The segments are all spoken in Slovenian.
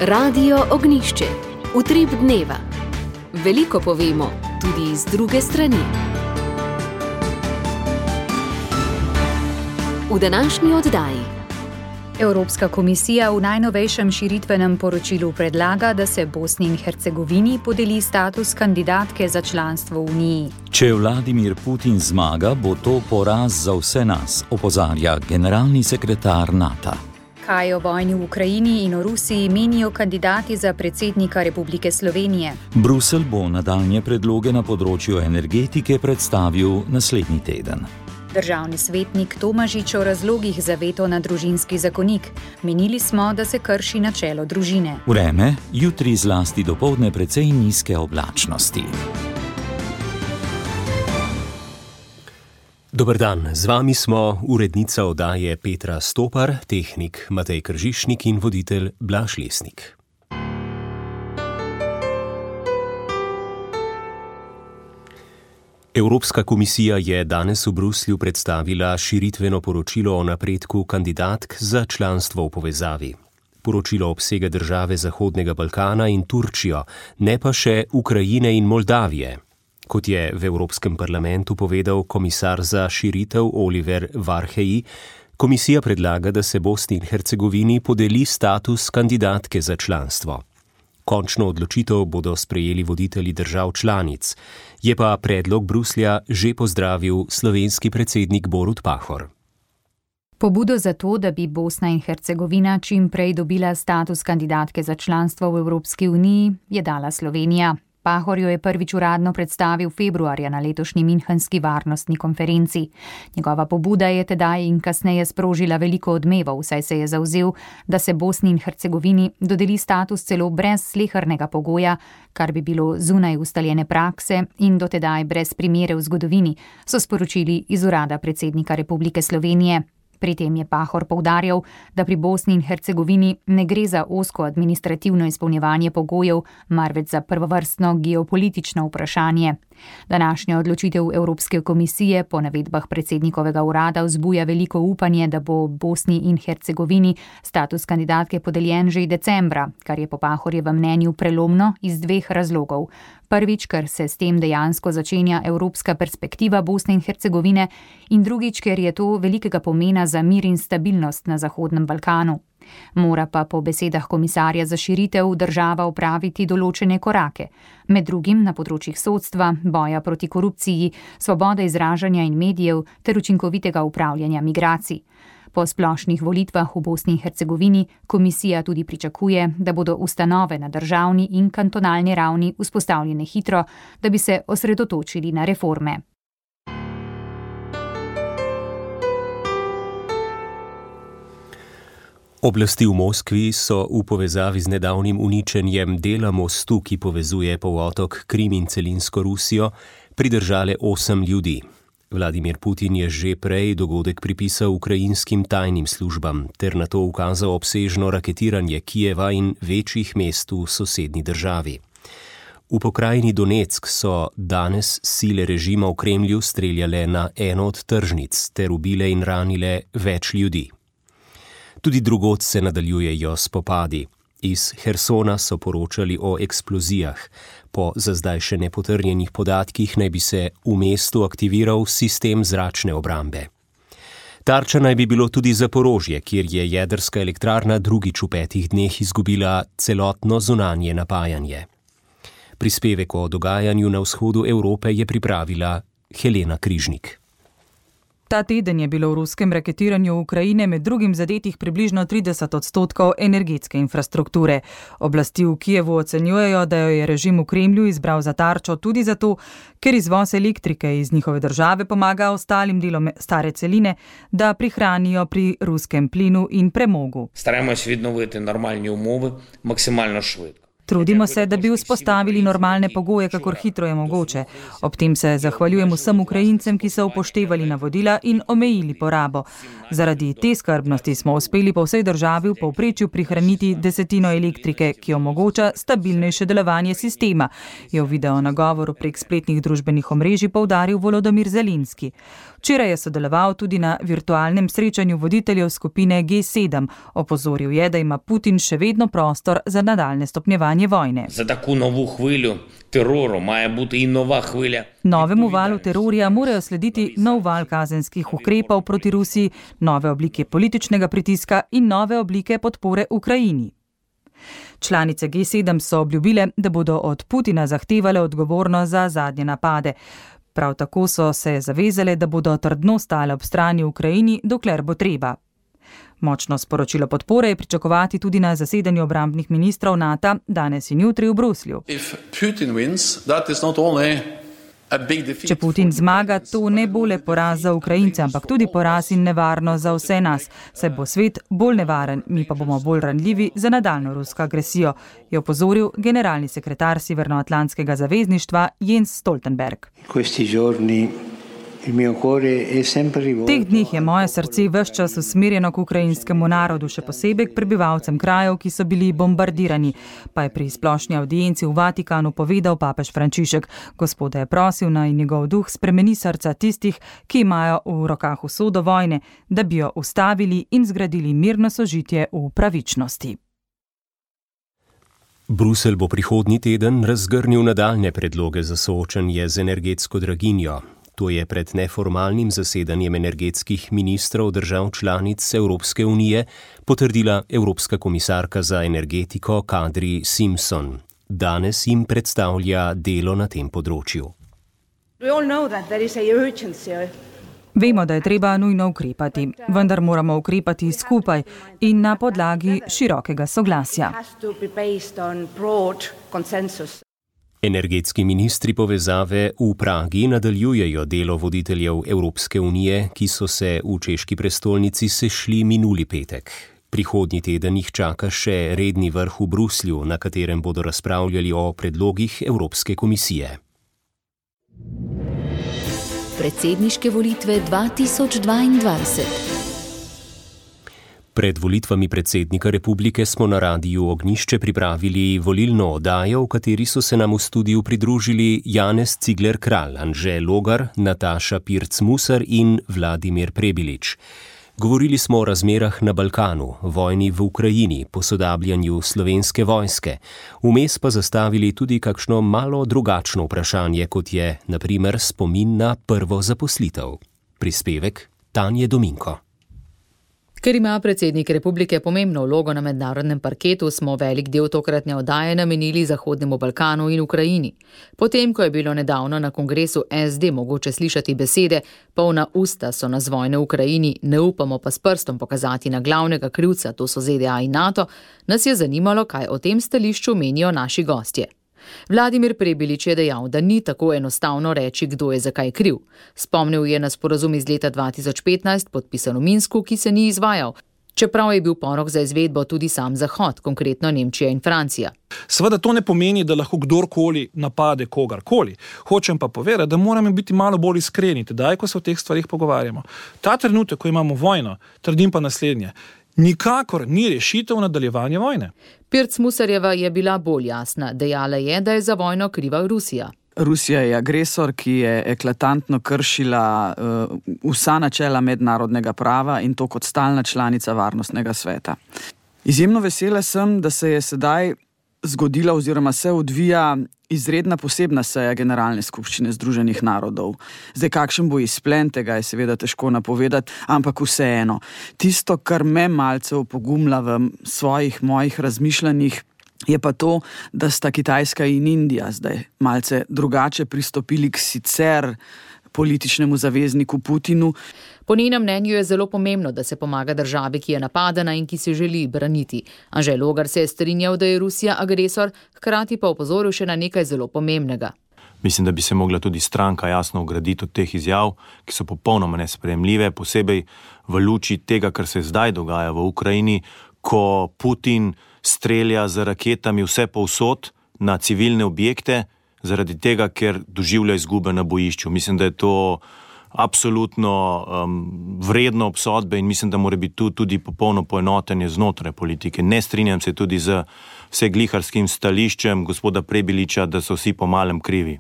Radio Ognišče, utrip dneva. Veliko povemo, tudi z druge strani. V današnji oddaji. Evropska komisija v najnovejšem širitvenem poročilu predlaga, da se Bosni in Hercegovini podeli status kandidatke za članstvo v Uniji. Če Vladimir Putin zmaga, bo to poraz za vse nas, opozarja generalni sekretar NATO. Kaj o vojni v Ukrajini in o Rusiji menijo kandidati za predsednika Republike Slovenije? Bruselj bo nadaljnje predloge na področju energetike predstavil naslednji teden. Državni svetnik Tomažič o razlogih za veto na družinski zakonik. Menili smo, da se krši načelo družine. Vreme, jutri zlasti dopoldne precej nizke oblačnosti. Dober dan, z vami smo urednica oddaje Petra Stopar, tehnik Matej Kržišnik in voditelj Blaž Lesnik. Evropska komisija je danes v Bruslju predstavila širitveno poročilo o napredku kandidatk za članstvo v povezavi. Poročilo obsega države Zahodnega Balkana in Turčijo, ne pa še Ukrajine in Moldavije. Kot je v Evropskem parlamentu povedal komisar za širitev Oliver Varhelyi, komisija predlaga, da se Bosni in Hercegovini podeli status kandidatke za članstvo. Končno odločitev bodo sprejeli voditelji držav članic, je pa predlog Bruslja že pozdravil slovenski predsednik Borut Pahor. Pobudo za to, da bi Bosna in Hercegovina čim prej dobila status kandidatke za članstvo v Evropski uniji, je dala Slovenija. Pahor jo je prvič uradno predstavil februarja na letošnji Münchenski varnostni konferenci. Njegova pobuda je tedaj in kasneje sprožila veliko odmevov, saj se je zavzel, da se Bosni in Hercegovini dodeli status celo brez slehernega pogoja, kar bi bilo zunaj ustaljene prakse in dotedaj brez primere v zgodovini, so sporočili iz urada predsednika Republike Slovenije. Pri tem je Pahor poudarjal, da pri Bosni in Hercegovini ne gre za ozko administrativno izpolnjevanje pogojev, marveč za prvovrstno geopolitično vprašanje. Današnja odločitev Evropske komisije po navedbah predsednikovega urada vzbuja veliko upanje, da bo Bosni in Hercegovini status kandidatke podeljen že decembra, kar je po Pahorjevem mnenju prelomno iz dveh razlogov. Prvič, ker se s tem dejansko začenja evropska perspektiva Bosne in Hercegovine, in drugič, ker je to velikega pomena za mir in stabilnost na Zahodnem Balkanu. Mora pa po besedah komisarja za širitev država opraviti določene korake, med drugim na področjih sodstva, boja proti korupciji, svobode izražanja in medijev ter učinkovitega upravljanja migracij. Po splošnih volitvah v Bosni in Hercegovini komisija tudi pričakuje, da bodo ustanove na državni in kantonalni ravni vzpostavljene hitro, da bi se osredotočili na reforme. Oblasti v Moskvi so v povezavi z nedavnim uničenjem dela mostu, ki povezuje polotok Krim in celinsko Rusijo, pridržale 8 ljudi. Vladimir Putin je že prej dogodek pripisal ukrajinskim tajnim službam ter na to ukazal obsežno raketiranje Kijeva in večjih mest v sosednji državi. V pokrajini Donetsk so danes sile režima v Kremlju streljale na eno od tržnic ter ubile in ranile več ljudi. Tudi drugod se nadaljujejo spopadi. Iz Hersona so poročali o eksplozijah. Po za zdaj še nepotrjenih podatkih naj bi se v mestu aktiviral sistem zračne obrambe. Tarča naj bi bilo tudi Zaporožje, kjer je jedrska elektrarna drugič v 5 dneh izgubila celotno zunanje napajanje. Prispevek o dogajanju na vzhodu Evrope je pripravila Helena Križnik. Ta teden je bilo v ruskem raketiranju Ukrajine med drugim zadetih približno 30% energetske infrastrukture. Oblasti v Kijevu ocenjujejo, da jo je režim v Kremlju izbral za tarčo tudi zato, ker izvoz elektrike iz njihove države pomaga ostalim delom stare celine, da prihranijo pri ruskem plinu in premogu. Starajmo se vidnoviti normalne umovi maksimalno švitko. Trudimo se, da bi vzpostavili normalne pogoje, kakor hitro je mogoče. Ob tem se zahvaljujem vsem Ukrajincem, ki so upoštevali navodila in omejili porabo. Zaradi te skrbnosti smo uspeli po vsej državi v povprečju prihraniti 1/10 elektrike, ki omogoča stabilnejše delovanje sistema, je v video nagovoru prek spletnih družbenih omrežij poudaril Volodymyr Zelenski. Včeraj je sodeloval tudi na virtualnem srečanju voditeljev skupine G7. Opozoril je, da ima Putin še vedno prostor za nadaljne stopnjevanje vojne. Za tako novu hvilju teroru maja biti in nova hvilja. Novemu valu terorja morajo slediti nov val kazenskih ukrepov proti Rusiji, nove oblike političnega pritiska in nove oblike podpore Ukrajini. Članice G7 so obljubile, da bodo od Putina zahtevale odgovornost za zadnje napade. Prav tako so se zavezale, da bodo trdno stale ob strani Ukrajini, dokler bo treba. Močno sporočilo podpore je pričakovati tudi na zasedanju obrambnih ministrov NATO danes in jutri v Bruslju. Če Putin zmaga, to ne bo le poraz za Ukrajince, ampak tudi poraz in nevarnost za vse nas, saj bo svet bolj nevaren, mi pa bomo bolj ranljivi za nadaljno rusko agresijo, je opozoril generalni sekretar Severnoatlantskega zavezništva Jens Stoltenberg. V teh dneh je moje srce ves čas usmerjeno k ukrajinskemu narodu, še posebej k prebivalcem krajev, ki so bili bombardirani, pa je pri splošni avdienci v Vatikanu povedal papež Frančišek. Gospoda je prosil, naj njegov duh spremeni srca tistih, ki imajo v rokah usodo vojne, da bi jo ustavili in zgradili mirno sožitje v pravičnosti. Bruselj bo prihodnji teden razgrnil nadaljne predloge za soočanje z energetsko draginjo. To je pred neformalnim zasedanjem energetskih ministrov držav članic Evropske unije potrdila Evropska komisarka za energetiko Kadri Simpson. Danes jim predstavlja delo na tem področju. Vemo, da je treba nujno ukrepati, vendar moramo ukrepati skupaj in na podlagi širokega soglasja. Energetski ministri povezave v Pragi nadaljujejo delo voditeljev Evropske unije, ki so se v češki prestolnici sešli minuli petek. Prihodnji teden jih čaka še redni vrh v Bruslju, na katerem bodo razpravljali o predlogih Evropske komisije. Predsedniške volitve 2022. Pred volitvami predsednika republike smo na Radiu Ognjišče pripravili volilno oddajo, v kateri so se nam v studiu pridružili Janez Cigler-Kralj, Anže Logar, Nataša Pirc-Musar in Vladimir Prebilič. Govorili smo o razmerah na Balkanu, vojni v Ukrajini, posodabljanju slovenske vojske. Vmes pa zastavili tudi kakšno malo drugačno vprašanje, kot je, na primer, spomin na prvo zaposlitev. Prispevek Tanje Dominko. Ker ima predsednik republike pomembno vlogo na mednarodnem parketu, smo velik del tokratne oddaje namenili Zahodnemu Balkanu in Ukrajini. Potem, ko je bilo nedavno na kongresu SD mogoče slišati besede, polna usta so nas vojne v Ukrajini, ne upamo pa s prstom pokazati na glavnega krivca, to so ZDA in NATO, nas je zanimalo, kaj o tem stališču menijo naši gostje. Vladimir Prebilič je dejal, da ni tako enostavno reči, kdo je zakaj kriv. Spomnil je na sporazum iz leta 2015, podpisan v Minsku, ki se ni izvajal, čeprav je bil porok za izvedbo tudi sam Zahod, konkretno Nemčija in Francija. Seveda to ne pomeni, da lahko kdorkoli napade kogarkoli. Hočem pa povedati, da moramo biti malo bolj iskreni, tedaj, ko se o teh stvarih pogovarjamo. Ta trenutek, ko imamo vojno, trdim pa naslednje. Nikakor ni rešitev nadaljevanje vojne. Pirc-Musarjeva je bila bolj jasna. Dejala je, da je za vojno kriva Rusija. Rusija je agresor, ki je eklatantno kršila vsa načela mednarodnega prava in to kot stalna članica Varnostnega sveta. Izjemno vesela sem, da se je sedaj zgodila oziroma se odvija izredna posebna seja Generalne skupščine Združenih narodov. Zdaj, kakšen bo izplen tega, je seveda težko napovedati, ampak vseeno. Tisto, kar me malce opogumlja v mojih razmišljanjih, je pa to, da sta Kitajska in Indija zdaj malce drugače pristopili k sicer političnemu zavezniku Putinu. Po njenem mnenju je zelo pomembno, da se pomaga državi, ki je napadena in ki se želi braniti. Anže Logar se je strinjal, da je Rusija agresor, hkrati pa opozoril še na nekaj zelo pomembnega. Mislim, da bi se mogla tudi stranka jasno ograditi od teh izjav, ki so popolnoma nesprejemljive, posebej v luči tega, kar se zdaj dogaja v Ukrajini, ko Putin strelja z raketami vse povsod na civilne objekte, zaradi tega, ker doživlja izgube na bojišču. Mislim, da je to absolutno vredno obsodbe in mislim, da mora biti tu tudi popolno poenotenje znotraj politike. Ne strinjam se tudi z vsegliharskim stališčem gospoda Prebiliča, da so vsi po malem krivi.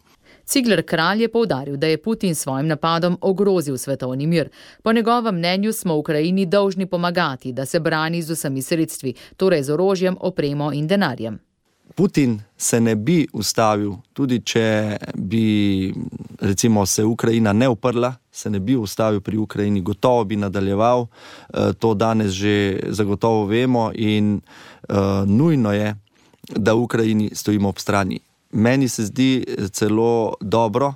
Cigler Kralj je poudaril, da je Putin s svojim napadom ogrozil svetovni mir. Po njegovem mnenju smo Ukrajini dolžni pomagati, da se brani z vsemi sredstvi, torej z orožjem, opremo in denarjem. Putin se ne bi ustavil, tudi če bi recimo se Ukrajina ne uprla, se ne bi ustavil pri Ukrajini, gotovo bi nadaljeval, to danes že zagotovo vemo in nujno je, da Ukrajini stojimo ob strani. Meni se zdi celo dobro,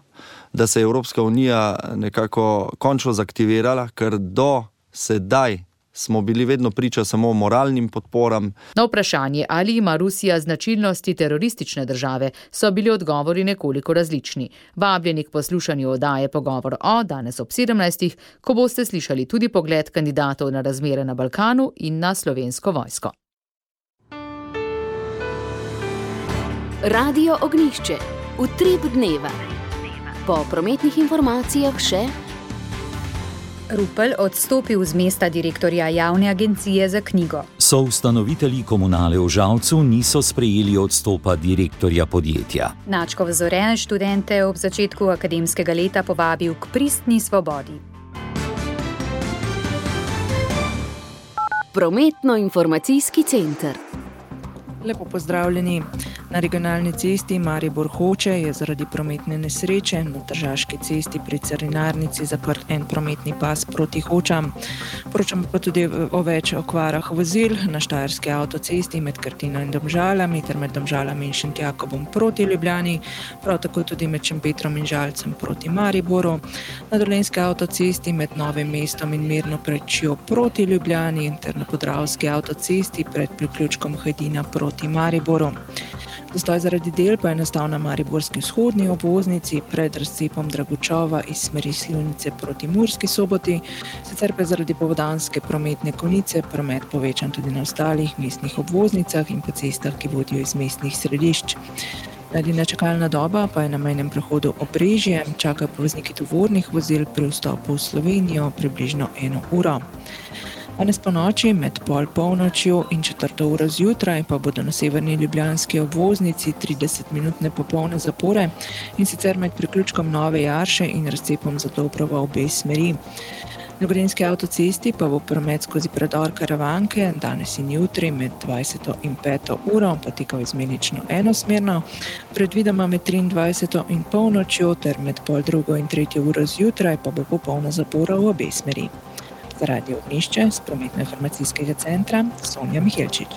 da se je Evropska unija nekako končno zaktivirala, ker do sedaj smo bili vedno priča samo moralnim podporam. Na vprašanje, ali ima Rusija značilnosti teroristične države, so bili odgovori nekoliko različni. Vabljeni k poslušanju oddaje Pogovor o danes ob 17, ko boste slišali tudi pogled kandidatov na razmere na Balkanu in na Slovensko vojsko. Radio Ognjišče. Utrip dneva. Po prometnih informacijah še Rupel odstopil z mesta direktorja javne agencije za knjigo. Soustanovitelji Komunale v Žalcu niso sprejeli odstopa direktorja podjetja. Načkov Zore študente ob začetku akademskega leta povabil k pristni svobodi. Prometno-informacijski center. Lepo pozdravljeni. Na regionalni cesti Maribor-Hoče je zaradi prometne nesreče na Tržaški cesti pri Carinarnici zaprt en prometni pas proti Hočam. Poročamo pa tudi o več okvarah vozil na Štajerski avtocesti med Krtino in Domžalami ter med Domžalami in Šentjakobom proti Ljubljani, prav tako tudi med Šempetrom in Žalcem proti Mariboru. Na Dolenjski avtocesti med Novim mestom in Mirno Prečjo proti Ljubljani ter na Podravski avtocesti pred priključkom Hajdina proti Mariboru. Zastoj zaradi del pa je nastal na mariborski vzhodni obvoznici pred razcepom Dragočova iz smeri Slivnice proti Murski Soboti, sicer pa zaradi popoldanske prometne konice promet povečan tudi na ostalih mestnih obvoznicah in po cestah, ki vodijo iz mestnih središč. Edina čakalna doba pa je na mejnem prehodu Obrežje, čakajo pa vozniki tovornih vozil pri vstopu v Slovenijo približno 1 uro. Danes po noči med polnočjo in 4 uro zjutraj pa bodo na severni ljubljanski obvoznici 30-minutne popolne zapore in sicer med priključkom Nove Jarše in razcepom Zadobrovo v obe smeri. Na Gorenjski avtocesti pa bo promet skozi predor Karavanke danes in jutri med 20 in 5 uro potekal izmenično enosmerno, predvidoma med 23 in polnočjo ter med 2:30 in 3 uro zjutraj pa bo popolna zapora v obe smeri. Za Radio Ognjišče z prometno-informacijskega centra Sonja Mihelčič.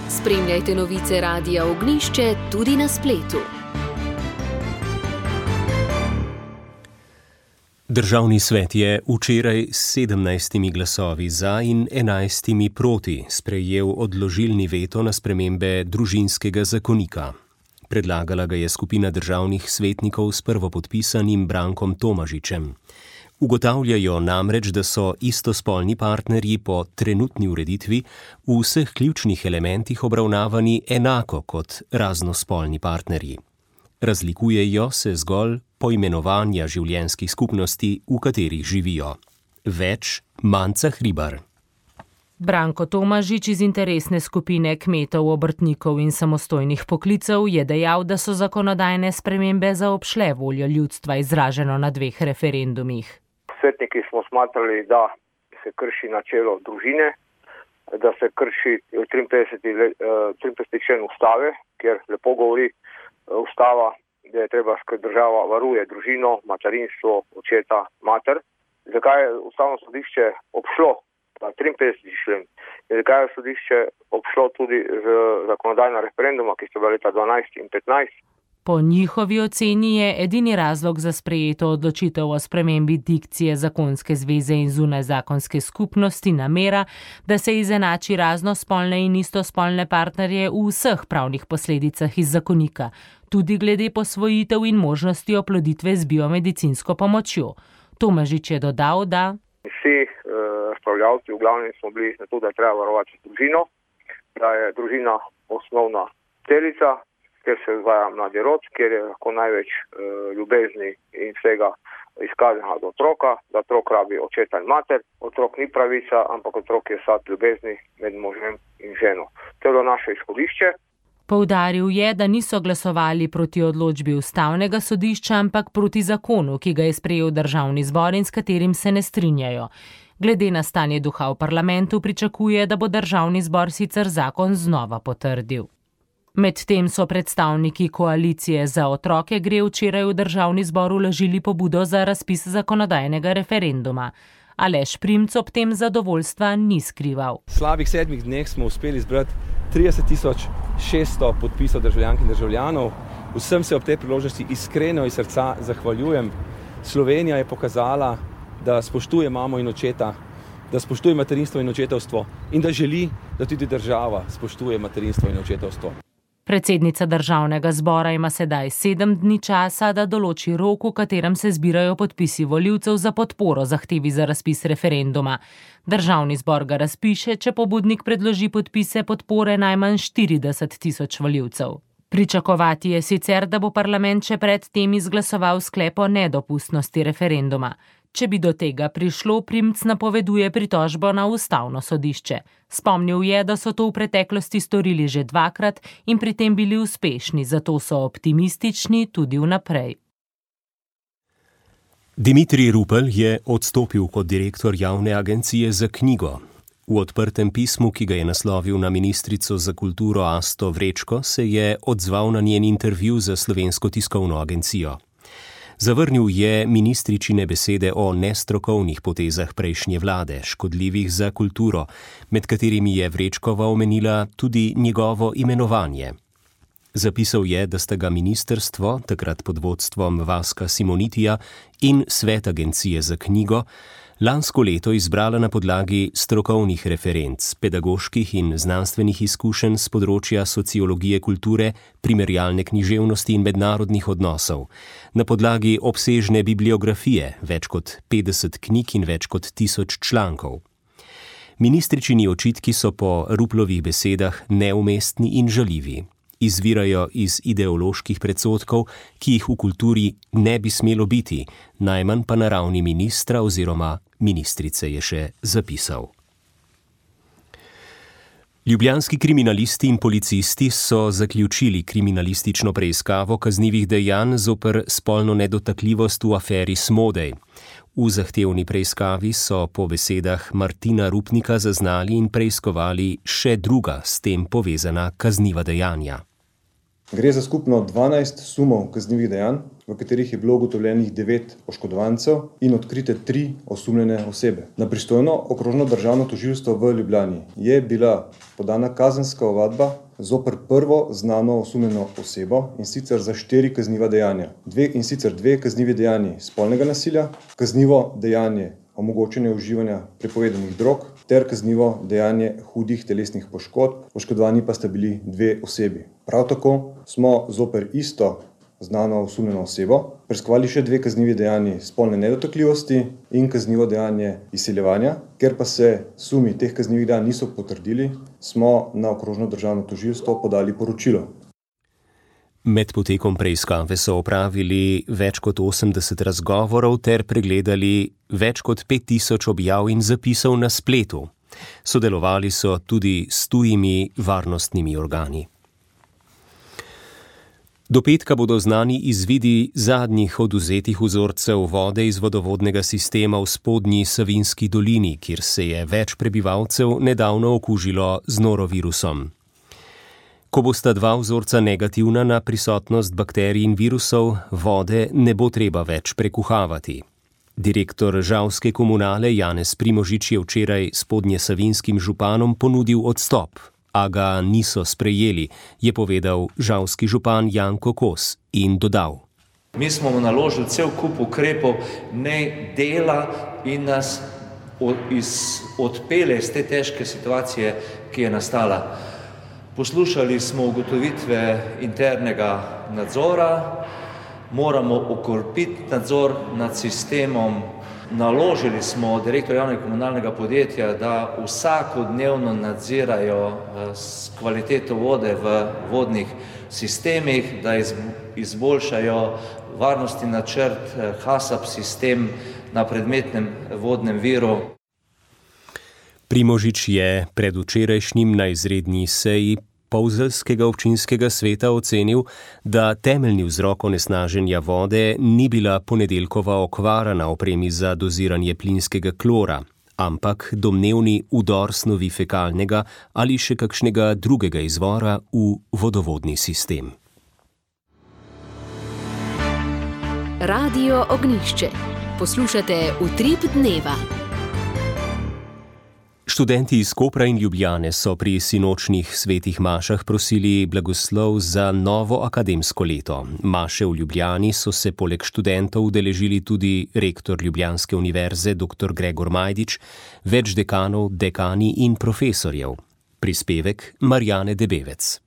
Spremljajte novice Radia Ognjišče tudi na spletu. Državni svet je včeraj s 17 glasovi za in 11 proti sprejel odložilni veto na spremembe družinskega zakonika. Predlagala ga je skupina državnih svetnikov s prvopodpisanim Brankom Tomažičem. Ugotavljajo namreč, da so istospolni partnerji po trenutni ureditvi v vseh ključnih elementih obravnavani enako kot raznospolni partnerji. Razlikujejo se zgolj poimenovanja življenjskih skupnosti, v katerih živijo. Več Manca Hribar. Branko Tomažič iz interesne skupine kmetov, obrtnikov in samostojnih poklicev je dejal, da so zakonodajne spremembe zaobšle voljo ljudstva izraženo na 2 referendumih. Svetniki smo smatrali, da se krši načelo družine, da se krši 53. člen ustave, kjer lepo govori ustava, da je treba, da država varuje družino, materinstvo, očeta, mater. Zakaj je ustavno sodišče obšlo 53. člen? Zakaj je sodišče obšlo tudi z zakonodajna referenduma, ki so bila leta 12 in 15? Po njihovi oceni je edini razlog za sprejeto odločitev o spremembi dikcije zakonske zveze in zunajzakonske skupnosti namera, da se izenači raznospolne in istospolne partnerje v vseh pravnih posledicah iz zakonika, tudi glede posvojitev in možnosti oploditve z biomedicinsko pomočjo. Tomažič je dodal, da vsi razpravljavci v glavnem smo bili na to, da je treba varovati družino, da je družina osnovna celica, kjer se vzgaja mladi rod, kjer je lahko največ ljubezni in vsega izkazanega do otroka, da otrok rabi očeta in mater. Otrok ni pravica, ampak otrok je sad ljubezni med možem in ženo. To je bilo naše izhodišče. Poudaril je, da niso glasovali proti odločbi ustavnega sodišča, ampak proti zakonu, ki ga je sprejel državni zbor in s katerim se ne strinjajo. Glede na stanje duha v parlamentu pričakuje, da bo državni zbor sicer zakon znova potrdil. Medtem so predstavniki koalicije Za otroke gre včeraj v državni zbor vložili pobudo za razpis zakonodajnega referenduma. Aleš Primc ob tem zadovoljstva ni skrival. V slabih 7 dneh smo uspeli zbrati 30.600 podpisov državljank in državljanov. Vsem se ob tej priložnosti iskreno iz srca zahvaljujem. Slovenija je pokazala, da spoštuje mamo in očeta, da spoštuje materinstvo in očetovstvo in da želi, da tudi država spoštuje materinstvo in očetovstvo. Predsednica državnega zbora ima sedaj 7 dni časa, da določi rok, v katerem se zbirajo podpisi volivcev za podporo zahtevi za razpis referenduma. Državni zbor ga razpiše, če pobudnik predloži podpise podpore najmanj 40.000 volivcev. Pričakovati je sicer, da bo parlament še pred tem izglasoval sklep o nedopustnosti referenduma. Če bi do tega prišlo, Primc napoveduje pritožbo na ustavno sodišče. Spomnil je, da so to v preteklosti storili že 2-krat in pri tem bili uspešni, zato so optimistični tudi vnaprej. Dimitrij Rupel je odstopil kot direktor javne agencije za knjigo. V odprtem pismu, ki ga je naslovil na ministrico za kulturo Asto Vrečko, se je odzval na njen intervju za Slovensko tiskovno agencijo. Zavrnil je ministričine besede o nestrokovnih potezah prejšnje vlade, škodljivih za kulturo, med katerimi je Vrečkova omenila tudi njegovo imenovanje. Zapisal je, da sta ga ministrstvo, takrat pod vodstvom Vaska Simonitija, in svet agencije za knjigo lansko leto izbrala na podlagi strokovnih referenc, pedagoških in znanstvenih izkušenj z področja sociologije kulture, primerjalne književnosti in mednarodnih odnosov, na podlagi obsežne bibliografije, več kot 50 knjig in več kot 1000 člankov. Ministričini očitki so po Ruplovih besedah neumestni in žaljivi. Izvirajo iz ideoloških predsodkov, ki jih v kulturi ne bi smelo biti, najmanj pa na ravni ministra oziroma ministrice, je še zapisal. Ljubljanski kriminalisti in policisti so zaključili kriminalistično preiskavo kaznivih dejanj zoper spolno nedotakljivost v aferi Smodej. V zahtevni preiskavi so po besedah Martina Rupnika zaznali in preiskovali še druga s tem povezana kazniva dejanja. Gre za skupno 12 sumov kaznivih dejanj, v katerih je bilo ugotovljenih 9 oškodovancev in odkrite 3 osumljene osebe. Na pristojno okrožno državno tožilstvo v Ljubljani je bila podana kazenska ovadba zoper prvo znano osumljeno osebo, in sicer za 4 kazniva dejanja. In sicer 2 kaznivi dejanji spolnega nasilja, kaznivo dejanje omogočanje uživanja prepovedanih drog ter kaznivo dejanje hudih telesnih poškodb, oškodovani pa sta bili 2 osebi. Prav tako smo zoper isto znano osumljeno osebo preiskovali še 2 kaznivi dejanji spolne nedotakljivosti in kaznivo dejanje izsiljevanja. Ker pa se sumi teh kaznivih dejanj niso potrdili, smo na okrožno državno tožilstvo podali poročilo. Med potekom preiskave so opravili več kot 80 razgovorov ter pregledali več kot 5000 objav in zapisov na spletu. Sodelovali so tudi s tujimi varnostnimi organi. Do petka bodo znani izvidi zadnjih odvzetih vzorcev vode iz vodovodnega sistema v spodnji Savinjski dolini, kjer se je več prebivalcev nedavno okužilo z norovirusom. Ko bosta 2 vzorca negativna na prisotnost bakterij in virusov, vode ne bo treba več prekuhavati. Direktor žalske komunale Janez Primožič je včeraj spodnjesavinjskim županom ponudil odstop, a ga niso sprejeli, je povedal žalski župan Janko Kos in dodal. Mi smo mu naložili cel kup ukrepov, ne dela in nas odpele iz te težke situacije, ki je nastala. Poslušali smo ugotovitve internega nadzora, moramo okrepiti nadzor nad sistemom. Naložili smo direktorju javnega komunalnega podjetja, da vsakodnevno nadzirajo kvaliteto vode v vodnih sistemih, da izboljšajo varnostni načrt HACCP sistem na predmetnem vodnem viru. Primožič je predvčerajšnjim na izredni seji Polzelskega občinskega sveta ocenil, da temeljni vzrok onesnaženja vode ni bila ponedeljkova okvara na opremi za doziranje plinskega klora, ampak domnevni vdor snovi fekalnega ali še kakšnega drugega izvora v vodovodni sistem. Radio Ognjišče. Poslušate Utrip dneva. Študenti iz Kopra in Ljubljane so pri sinočnih svetih mašah prosili blagoslov za novo akademsko leto. Maše v Ljubljani so se poleg študentov udeležili tudi rektor Ljubljanske univerze dr. Gregor Majdič, več dekanov, dekani in profesorjev. Prispevek Marjane Debevec.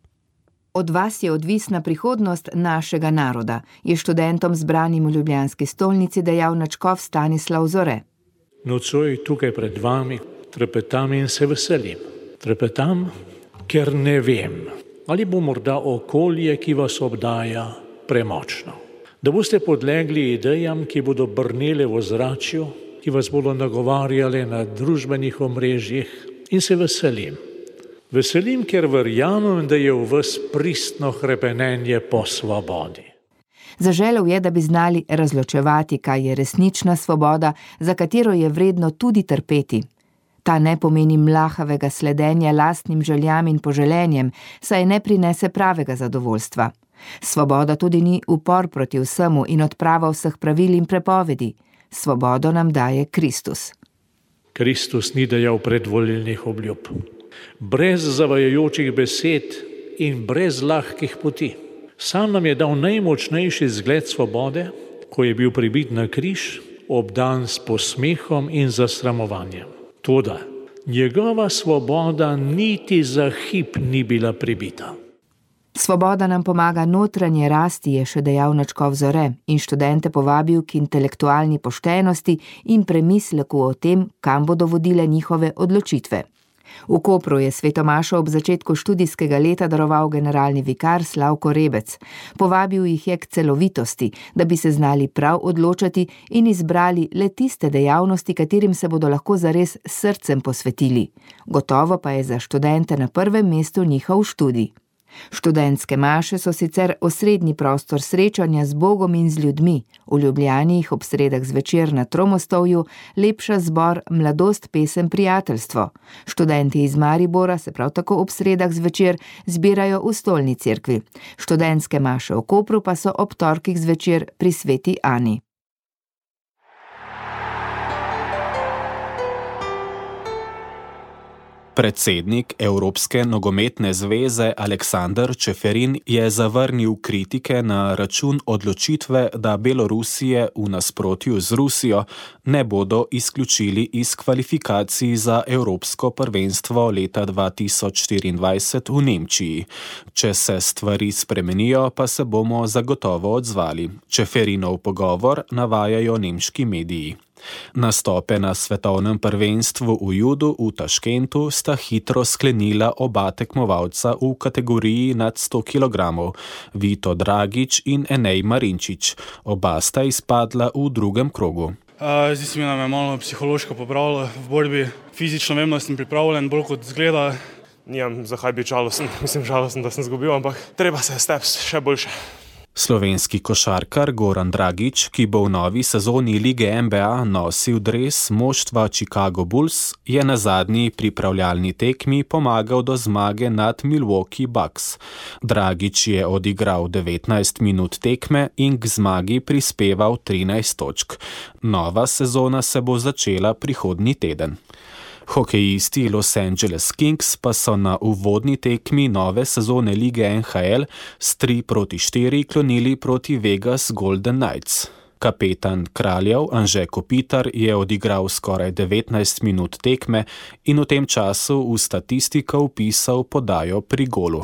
Od vas je odvisna prihodnost našega naroda, je študentom zbranim v ljubljanski stolnici dejal nadškof Stanislav Zore. Nocoj tukaj pred vami trepetam in se veselim. Trepetam, ker ne vem, ali bo morda okolje, ki vas obdaja, premočno. Da boste podlegli idejam, ki bodo brnele v ozračju, ki vas bodo nagovarjale na družbenih omrežjih, in se veselim. Veselim, ker verjamem, da je v vas pristno hrepenenje po svobodi. Zaželel je, da bi znali razločevati, kaj je resnična svoboda, za katero je vredno tudi trpeti. Ta ne pomeni mlahavega sledenja lastnim željam in poželenjem, saj ne prinese pravega zadovoljstva. Svoboda tudi ni upor proti vsemu in odprava vseh pravil in prepovedi. Svobodo nam daje Kristus. Kristus ni dajal predvolilnih obljub. Brez zavajajočih besed in brez lahkih poti. Sam nam je dal najmočnejši zgled svobode, ko je bil pribit na križ, obdan s posmehom in zasramovanjem. Toda njegova svoboda niti za hip ni bila pribita. Svoboda nam pomaga notranje rasti, je še dejal nadškof Zore in študente povabil k intelektualni poštenosti in premisleku o tem, kam bodo vodile njihove odločitve. V Kopru je svetomašo ob začetku študijskega leta daroval generalni vikar Slavko Rebec. Povabil jih je k celovitosti, da bi se znali prav odločati in izbrali le tiste dejavnosti, katerim se bodo lahko zares srcem posvetili. Gotovo pa je za študente na prvem mestu njihov študij. Študentske maše so sicer osrednji prostor srečanja z Bogom in z ljudmi. V Ljubljani jih ob sredah zvečer na Tromostovju lepša zbor Mladost, pesem, prijateljstvo. Študenti iz Maribora se prav tako ob sredah zvečer zbirajo v Stolni cerkvi. Študentske maše v Kopru pa so ob torkih zvečer pri Sveti Ani. Predsednik Evropske nogometne zveze Aleksander Čeferin je zavrnil kritike na račun odločitve, da Belorusije v nasprotju z Rusijo ne bodo izključili iz kvalifikacij za Evropsko prvenstvo leta 2024 v Nemčiji. Če se stvari spremenijo, pa se bomo zagotovo odzvali. Čeferinov pogovor navajajo nemški mediji. Nastope na svetovnem prvenstvu v judu v Taškentu sta hitro sklenila oba tekmovalca v kategoriji nad 100 kg, Vito Dragič in Enej Marinčič. Oba sta izpadla v drugem krogu. Zdi se mi, da me malo psihološko popravilo v borbi. Fizično vem, da sem pripravljen, bolj kot zgleda. Nimam zakaj biti žalosten, žalosten, da sem zgubil, ampak treba se steps še boljše. Slovenski košarkar Goran Dragič, ki bo v novi sezoni Lige NBA nosil dres moštva Chicago Bulls, je na zadnji pripravljalni tekmi pomagal do zmage nad Milwaukee Bucks. Dragič je odigral 19 minut tekme in k zmagi prispeval 13 točk. Nova sezona se bo začela prihodnji teden. Hokejisti Los Angeles Kings pa so na uvodni tekmi nove sezone lige NHL s 3-4 klonili proti Vegas Golden Knights. Kapetan Kraljev Anže Kopitar je odigral skoraj 19 minut tekme in v tem času v statistiko vpisal podajo pri golu.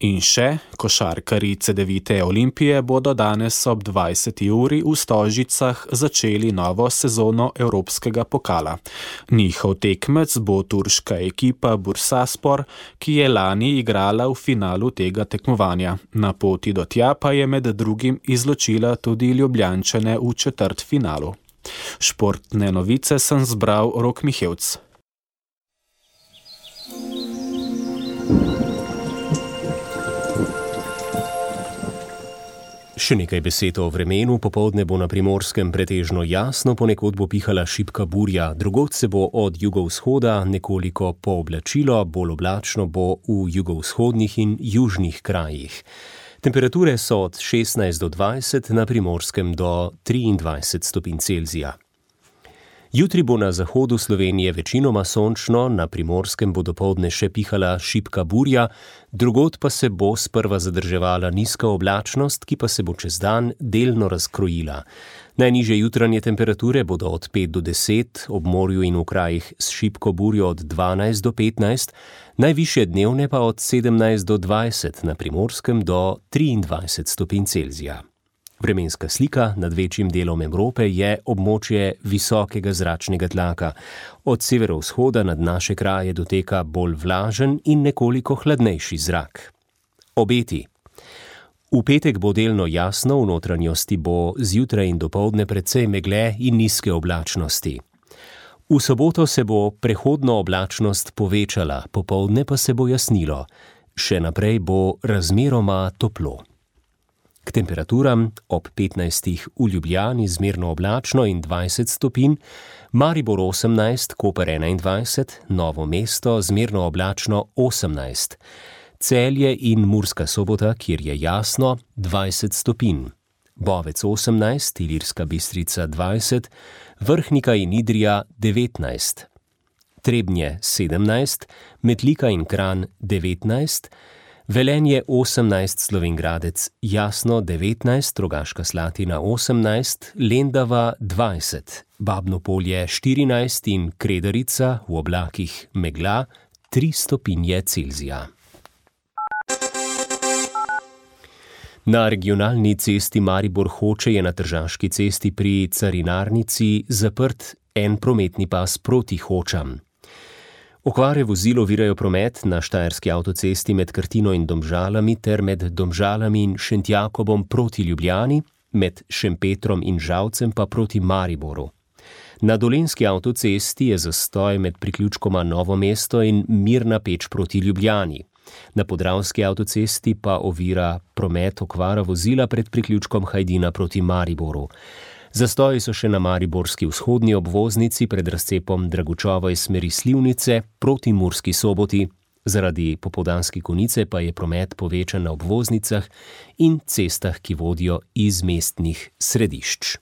In še, košarkarji Cedevite Olimpije bodo danes ob 20. uri v Stožicah začeli novo sezono Evropskega pokala. Njihov tekmec bo turška ekipa Bursaspor, ki je lani igrala v finalu tega tekmovanja. Na poti do tja pa je med drugim izločila tudi Ljubljančane v četrtfinalu. Športne novice sem zbral Rok Mihevc. Še nekaj besed o vremenu. Popoldne bo na Primorskem pretežno jasno, ponekod bo pihala šibka burja, drugod se bo od jugovzhoda nekoliko pooblačilo, bolj oblačno bo v jugovzhodnih in južnih krajih. Temperature so od 16 do 20, na Primorskem do 23 stopinj Celzija. Jutri bo na zahodu Slovenije večinoma sončno, na Primorskem bo dopoldne še pihala šibka burja, drugod pa se bo sprva zadrževala nizka oblačnost, ki pa se bo čez dan delno razkrojila. Najnižje jutranje temperature bodo od 5 do 10, ob morju in v krajih s šibko burjo od 12 do 15, najvišje dnevne pa od 17 do 20, na Primorskem do 23 stopinj Celzija. Vremenska slika nad večjim delom Evrope je območje visokega zračnega tlaka. Od severovzhoda nad naše kraje doteka bolj vlažen in nekoliko hladnejši zrak. Obeti. V petek bo delno jasno, v notranjosti bo zjutraj in dopoldne precej megle in nizke oblačnosti. V soboto se bo prehodno oblačnost povečala, popoldne pa se bo jasnilo. Še naprej bo razmeroma toplo. K temperaturam ob 15 v Ljubljani zmerno oblačno in 20 stopinj, Maribor 18, Koper 21, Novo mesto zmerno oblačno 18, Celje in Murska Sobota, kjer je jasno, 20 stopinj, Bovec 18, Ilirska Bistrica 20, Vrhnika in Idrija 19, Trebnje 17, Metlika in Kranj 19, Velenje 18, Slovenj Gradec jasno 19, Rogaška Slatina 18, Lendava 20, Babno Polje 14 in Kredarica v oblakih megla 3 stopinje Celzija. Na regionalni cesti Maribor-Hoče je na Tržaški cesti pri Carinarnici zaprt en prometni pas proti Hočam. Okvare vozil ovirajo promet na štajerski avtocesti med Krtino in Domžalami ter med Domžalami in Šentjakobom proti Ljubljani, med Šempetrom in Žalcem pa proti Mariboru. Na dolenjski avtocesti je zastoj med priključkoma Novo mesto in Mirna Peč proti Ljubljani. Na podravski avtocesti pa ovira promet okvara vozila pred priključkom Hajdina proti Mariboru. Zastoji so še na mariborski vzhodni obvoznici pred razcepom Dragučova iz smeri Slivnice proti Murski Soboti. Zaradi popoldanske konice pa je promet povečan na obvoznicah in cestah, ki vodijo iz mestnih središč.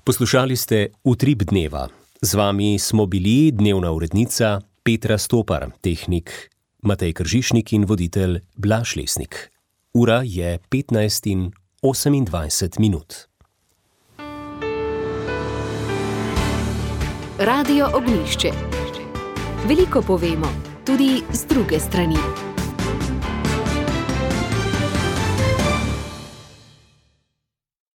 Poslušali ste Utrip dneva. Z vami smo bili dnevna urednica Petra Stopar, tehnik Matej Kržišnik in voditelj Blaž Lesnik. Ura je 15:28. Radio Ognjišče. Veliko povemo, tudi z druge strani.